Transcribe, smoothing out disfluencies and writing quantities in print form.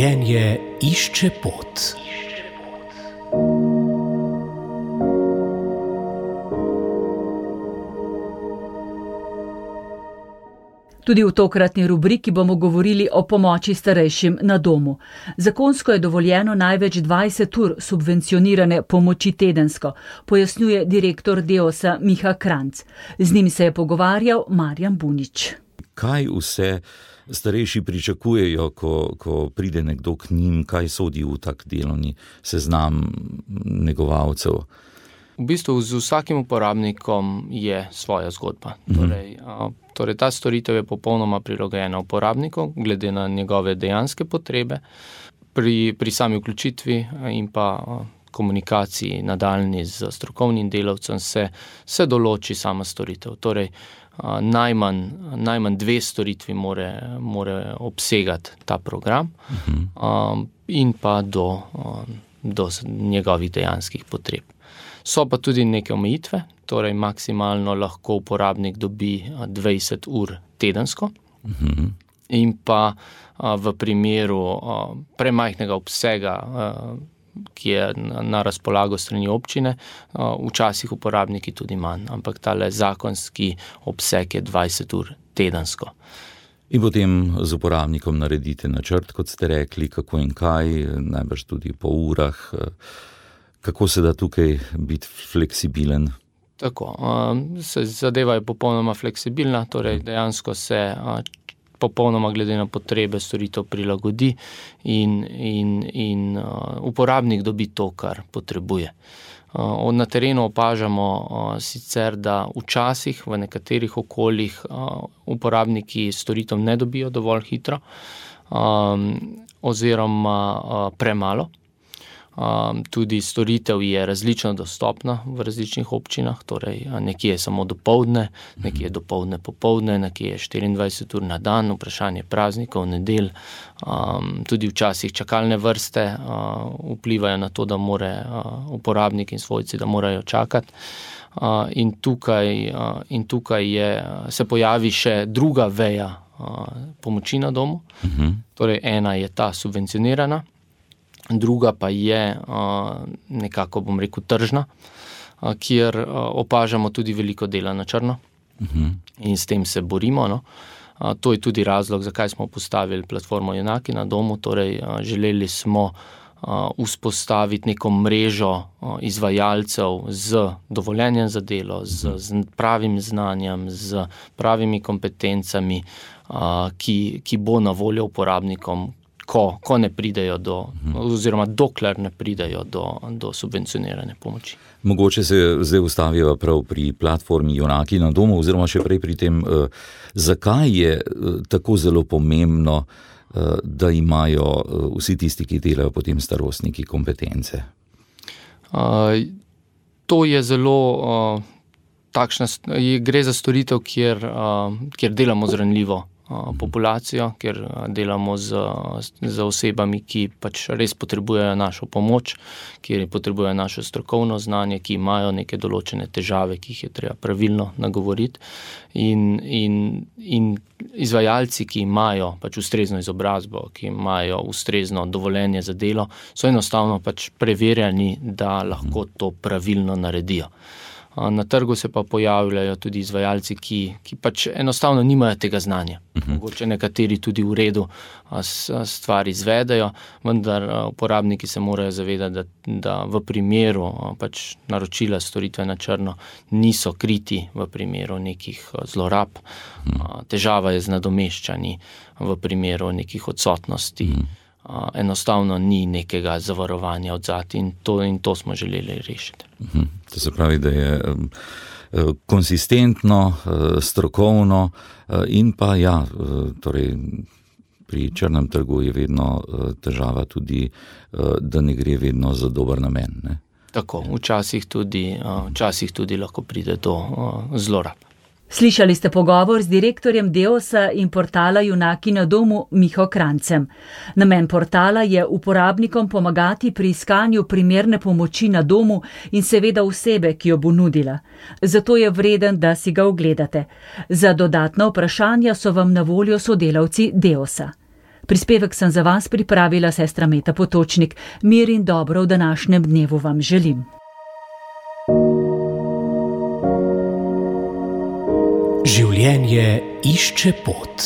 Življenje išče pot. Tudi v tokratni rubriki bomo govorili o pomoči starejšim na domu. Zakonsko je dovoljeno največ 20 ur subvencionirane pomoči tedensko, pojasnjuje direktor Deosa Miha Kranjc. Z njim se je pogovarjal Marjan Bunič. Kaj vse starejši pričakujejo, ko pride nekdo k njim, kaj sodi v tak delovni seznam negovalcev? V bistvu z vsakim uporabnikom je svoja zgodba. Torej ta storitev je popolnoma prilagojena uporabniku, glede na njegove dejanske potrebe. Pri sami vključitvi in pa komunikaciji nadaljnji z strokovnim delavcem se določi sama storitev. Torej, najmanj 2 storitvi more obsegati ta program in pa do njegovih dejanskih potreb. So pa tudi neke omejitve, torej maksimalno lahko uporabnik dobi 20 ur tedensko in pa v primeru premajhnega obsega, ki je na razpolago strani občine, včasih uporabniki tudi manj, ampak tale zakonski obseg je 20 ur tedensko. In potem z uporabnikom naredite načrt, kot ste rekli, kako in kaj, najbrž tudi po urah. Kako se da tukaj biti fleksibilen? Tako, zadeva je popolnoma fleksibilna, torej dejansko se popolnoma glede na potrebe storitev prilagodi in uporabnik dobi to, kar potrebuje. Na terenu opažamo sicer, da včasih v nekaterih okoljih uporabniki storitev ne dobijo dovolj hitro oziroma premalo. Tudi storitev je različno dostopna v različnih občinah, torej nekje je samo dopoldne, nekje je dopoldne popoldne, nekje je 24 ur na dan, vprašanje praznikov, nedelj, tudi včasih čakalne vrste vplivajo na to, da more uporabnik in svojci, da morajo čakati. In tukaj se pojavi še druga veja pomoči na domu, torej ena je ta subvencionirana, druga pa je nekako, bom rekel, tržna, kjer opažamo tudi veliko dela na črno in s tem se borimo. To je tudi razlog, zakaj smo postavili platformo Junaki na domu, torej želeli smo vzpostaviti neko mrežo izvajalcev z dovoljenjem za delo, z pravim znanjem, z pravimi kompetencami, ki bo na voljo uporabnikom, ko ne pridejo oziroma dokler ne pridejo do subvencionirane pomoči. Mogoče se zdaj ustavijo prav pri platformi Junaki na domu, oziroma še prej pri tem, zakaj je tako zelo pomembno, da imajo vsi tisti, ki delajo potem starostniki, kompetence? To je zelo gre za storitev, kjer delamo z ranljivo populacijo, kjer delamo z osebami, ki pač res potrebujejo našo pomoč, kjer potrebujejo našo strokovno znanje, ki imajo neke določene težave, ki jih je treba pravilno nagovoriti. In izvajalci, ki imajo pač ustrezno izobrazbo, ki imajo ustrezno dovoljenje za delo, so enostavno pač preverjeni, da lahko to pravilno naredijo. Na trgu se pa pojavljajo tudi izvajalci, ki pač enostavno nimajo tega znanja. Mogoče nekateri tudi v redu stvar izvedejo, vendar uporabniki se morajo zavedati, da v primeru pač naročila storitve na črno niso kriti v primeru nekih zlorab. Težava je z nadomeščanji v primeru nekih odsotnosti. Enostavno ni nekega zavarovanja odzadaj in to smo želeli rešiti. To se pravi, da je konsistentno, strokovno in pa torej pri črnem trgu je vedno težava tudi, da ne gre vedno za dober namen, ne? Tako, včasih tudi lahko pride do zlorab. Slišali ste pogovor z direktorjem Deosa in portala Junaki na domu Miho Kranjcem. Namen portala je uporabnikom pomagati pri iskanju primerne pomoči na domu in seveda osebe, ki jo bo nudila. Zato je vreden, da si ga ogledate. Za dodatna vprašanja so vam na voljo sodelavci Deosa. Prispevek sem za vas pripravila sestra Meta Potočnik. Mir in dobro v današnjem dnevu vam želim. Življenje išče pot.